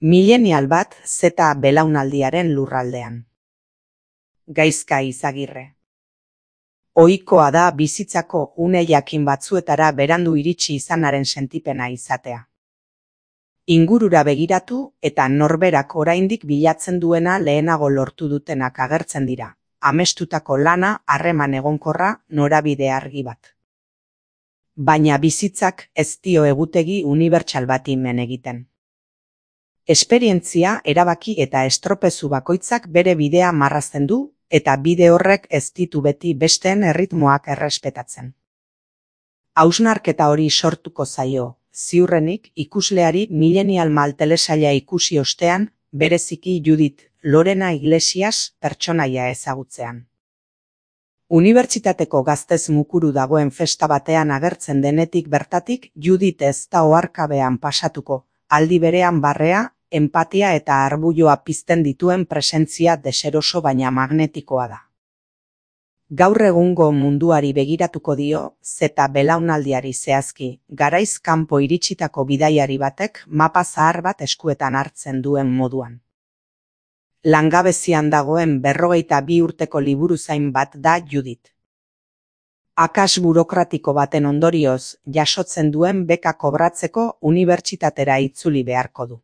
Milenial bat Z belaunaldiaren lurraldean. Gaizka Izagirre. Ohikoa da bizitzako une jakin batzuetara berandu iritsi izanaren sentipena izatea. Ingurura begiratu eta norberak oraindik bilatzen duena lehenago lortu dutenak agertzen dira. Amestutako lana, harreman egonkorra, norabide argi bat. Baina bizitzak ez dio egutegi unibertsal bati men egiten. Esperientzia, erabaki eta estropezu bakoitzak bere bidea marrazten du, eta bide horrek ez ditu beti besteen erritmoak errespetatzen. Hausnarketa hori sortuko zaio, ziurrenik ikusleari Millennial Mal telesaila ikusi ostean, bereziki Judith Lorena Iglesias pertsonaia ezagutzean. Unibertsitateko gaztez mukuru dagoen festa batean agertzen denetik bertatik Judith ez da oharkabean pasatuko, aldi berean barrea, empatia eta arbuioa pizten dituen presentzia deseroso baina magnetikoa da. Gaur egungo munduari begiratuko dio, Z belaunaldiari zehazki, garaiz kanpo iritsitako bidaiari batek mapa zahar bat eskuetan hartzen duen moduan. Langabezian dagoen 42 urteko liburuzain bat da Judith. Akas burokratiko baten ondorioz jasotzen duen beka kobratzeko unibertsitatera itzuli beharko du.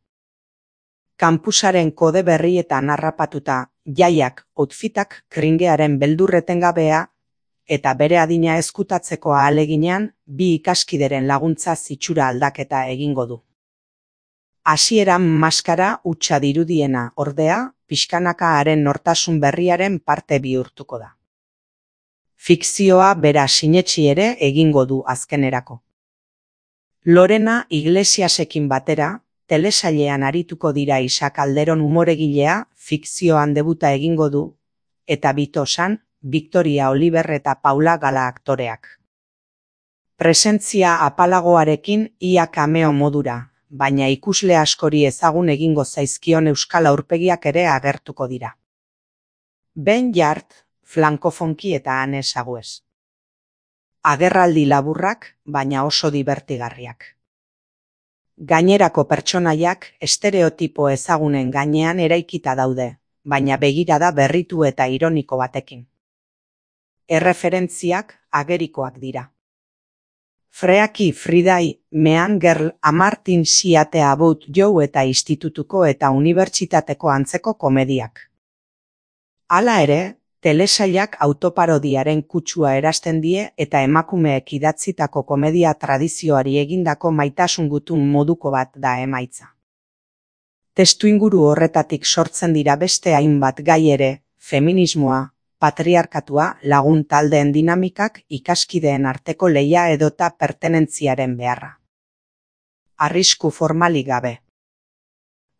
Kampusaren kode berrietan harrapatuta, jaiak, outfitak, kringearen beldurretengabea, eta bere adina ezkutatzeko ahaleginean, bi ikaskideren laguntza zitsura aldaketa egingo du. Hasieran maskara hutsa dirudiena, ordea, pixkanaka haren nortasun berriaren parte bihurtuko da. Fikzioa bera sinetsi ere egingo du azkenerako. Lorena Iglesiasekin batera, telesailean arituko dira Isa Calderon umoregilea, fikzioan debuta egingo du, eta Bitosan, Victoria Oliver eta Paula Gala aktoreak. Presentzia apalagoarekin ia cameo modura, baina ikusle askori ezagun egingo zaizkion euskal aurpegiak ere agertuko dira. Ben Jart, Frankofonki eta Ane Sagues. Agerraldi laburrak, baina oso divertigarriak. Gainerako pertsonaiak estereotipo ezagunen gainean eraikita daude, baina begirada berritu eta ironiko batekin. Erreferentziak agerikoak dira. Freaky Friday, Mean Girl, A Martin Siate About You eta institutuko eta unibertsitateko antzeko komediak. Hala ere, telesailak autoparodiaren kutsua erasten die eta emakumeek idatzitako komedia tradizioari egindako maitasun gutun moduko bat da emaitza. Testuinguru horretatik sortzen dira beste hainbat gai ere, feminismoa, patriarkatua, lagun taldeen dinamikak, ikaskideen arteko lehia edota pertenentziaren beharra. Arrisku formalik gabe.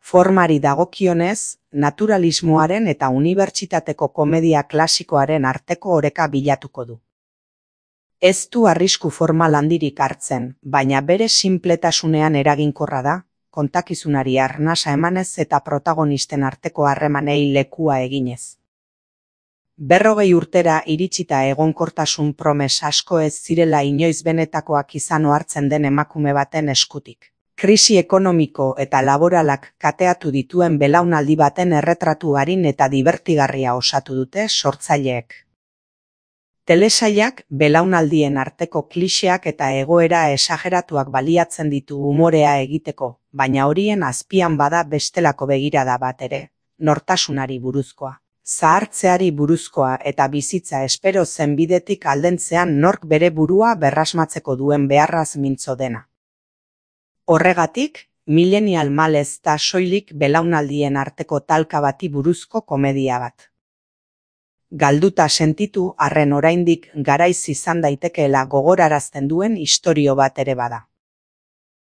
Formari dagokionez, naturalismoaren eta unibertsitateko komedia klasikoaren arteko oreka bilatuko du. Ez du arrisku formal handirik hartzen, baina bere sinpletasunean eraginkorra da, kontakizunari arnasa emanez eta protagonisten arteko harremanei lekua eginez. 40 urtera iritsita egonkortasun promes asko ez zirela inoiz benetakoak izan ohartzen den emakume baten eskutik. Krisi ekonomiko eta laboralak kateatu dituen belaunaldi baten erretratu arin eta divertigarria osatu dute sortzaileek. Telesailak belaunaldien arteko kliseak eta egoera esageratuak baliatzen ditu umorea egiteko, baina horien azpian bada bestelako begirada bat ere, nortasunari buruzkoa, zahartzeari buruzkoa eta bizitza espero zen bidetik aldentzean nork bere burua berrasmatzeko duen beharraz mintzo dena. Horregatik, Millennial Mal ez da soilik belaunaldien arteko talka bati buruzko komedia bat. Galduta sentitu arren oraindik garaiz izan daitekeela gogorarazten duen istorio bat ere bada.